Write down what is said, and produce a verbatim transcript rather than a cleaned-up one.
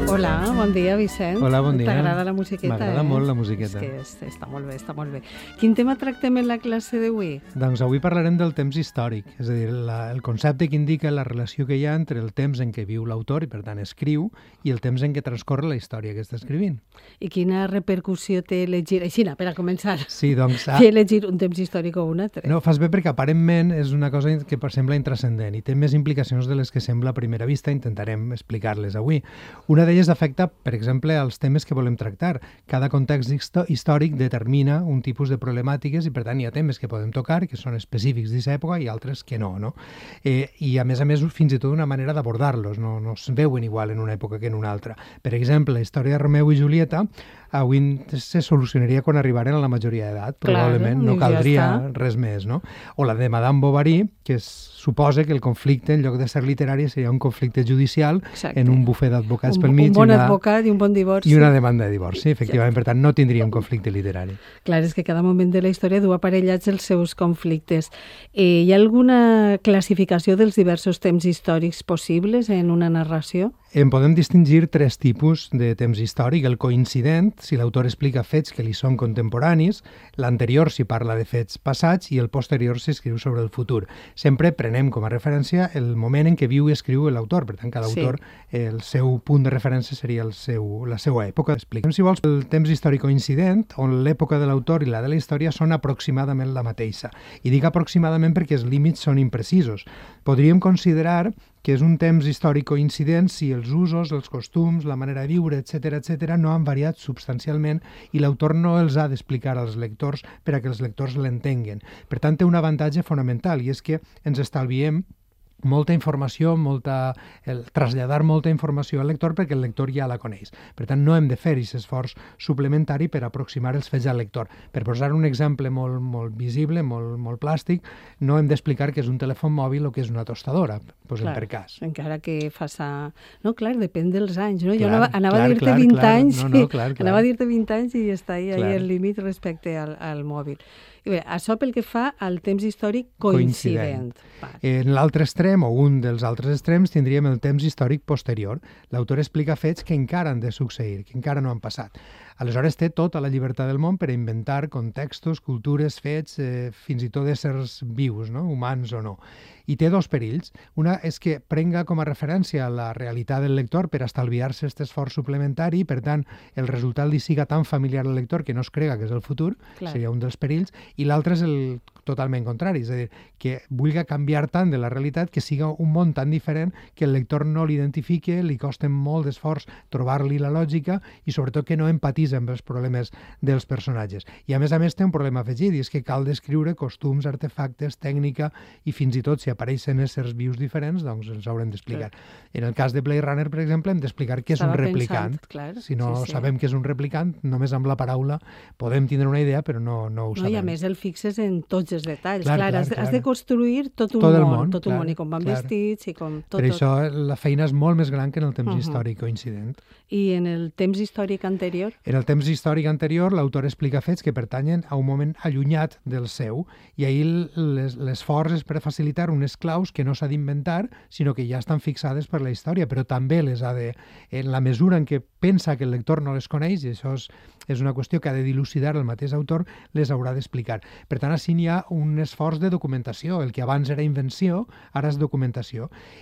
Hola, bon dia, Vicent. Hola, bon dia. T'agrada la musiqueta, M'agrada eh? molt la musiqueta. És que està molt bé, està molt bé. Quin tema tractem en la classe d'avui? Doncs avui parlarem del temps històric, és a dir, la, el concepte que indica la relació que hi ha entre el temps en què viu l'autor, i per tant escriu, i el temps en què transcorre la història que està escrivint. I quina repercussió té elegir, així, per a començar, Sí, doncs... fer elegir un temps històric o un altre? No, fas bé perquè aparentment és una cosa que sembla intrascendent i té més implicacions de les que sembla a primera vista, intentarem explicar-les avui. Una d'elles afecta, per exemple, als temes que volem tractar. Cada context històric determina un tipus de problemàtiques i, per tant, hi ha temes que podem tocar, que són específics d'aquesta època, i altres que no, no? Eh, I, a més a més, fins i tot una manera d'abordar-los, no, no es veuen igual en una època que en una altra. Per exemple, la història de Romeu i Julieta avui se solucionaria quan arribaren a la majoria d'edat, probablement, no caldria res més, no? O la de Madame Bovary, que es suposa que el conflicte, en lloc de ser literari, seria un conflicte judicial en un bufet d'advocats pel mig. Un bon advocat i un bon divorci. I una demanda de divorci, efectivament. Per tant, no tindria un conflicte literari. Clar, és que cada moment de la història du aparellats els seus conflictes. Eh, hi ha alguna classificació dels diversos temps històrics possibles en una narració? En podem distingir tres tipus de temps històric. El coincident, si l'autor explica fets que li són contemporanis, l'anterior si parla de fets passats i el posterior si escriu sobre el futur. Sempre prenem com a referència el moment en què viu i escriu l'autor. Per tant, cada autor, sí. el seu punt de referència seria el seu, la seva època. Expliquem, si vols, el temps històric coincident, on l'època de l'autor i la de la història són aproximadament la mateixa. I dic aproximadament perquè els límits són imprecisos. Podríem considerar que és un temps històric coincident si els usos, els costums, la manera de viure, etcètera, etcètera, no han variat substancialment i l'autor no els ha d'explicar als lectors per a que els lectors l'entenguen. Per tant, té un avantatge fonamental i és que ens estalviem molta informació, molta, el traslladar molta informació al lector perquè el lector ja la coneix. Per tant, no hem de fer aquest esforç suplementari per aproximar els fets al lector. Per posar un exemple molt, molt visible, molt, molt plàstic, no hem d'explicar que és un telèfon mòbil o que és una tostadora, posem clar, per cas. Encara que faça... No, clar, depèn dels anys, no? Clar, jo anava, anava clar, a dir-te clar, vint clar. anys, no, no, clar, clar. anava a dir-te vint anys i està ahí, clar. ahí el límit respecte al, al mòbil. I bé, això pel que fa al temps històric coincident. coincident. En l'altre extrem, o un dels altres extrems, tindríem el temps històric posterior. L'autor explica fets que encara han de succeir, que encara no han passat. Aleshores té tota la llibertat del món per a inventar contextos, cultures, fets, eh, fins i tot éssers vius, no? Humans o no. I té dos perills. Una és que prenga com a referència la realitat del lector per estalviar-se aquest esforç suplementari i, per tant, el resultat li siga tan familiar al lector que no es crega que és el futur, clar. Seria un dels perills, i l'altre és el totalment contrari, és a dir, que vulgui canviar tant de la realitat que siga un món tan diferent que el lector no l'identifique, li costa molt d'esforç trobar-li la lògica i sobretot que no empatitza amb els problemes dels personatges. I a més a més té un problema afegit, i és que cal descriure costums, artefactes, tècnica i fins i tot si apareixen éssers vius diferents, doncs els haurem d'explicar. Clar. En el cas de Blade Runner, per exemple, hem d'explicar què és un replicant. Pensant, clar, si no sí, sí. sabem què és un replicant, només amb la paraula podem tindre una idea, però no, no ho no, sabem. I a més el fixes en tots els detalls. Clar, clar, clar, has, clar. has de construir tot un tot món, món, tot clar, un món, i com van clar. vestits, i com tot. Per tot. això la feina és molt més gran que en el temps Uh-huh. històric coincident. I en el temps històric anterior? En el temps històric anterior, l'autor explica fets que pertanyen a un moment allunyat del seu, i ahir l'esforç és per facilitar unes claus que no s'ha d'inventar, sinó que ja estan fixades per la història, però també les ha de, en la mesura en què pensa que el lector no les coneix, i això és, és una qüestió que ha de dilucidar el mateix autor, les haurà d'explicar. Per tant, així hi ha un esforç de documentació. El que abans era invenció, ara és documentació.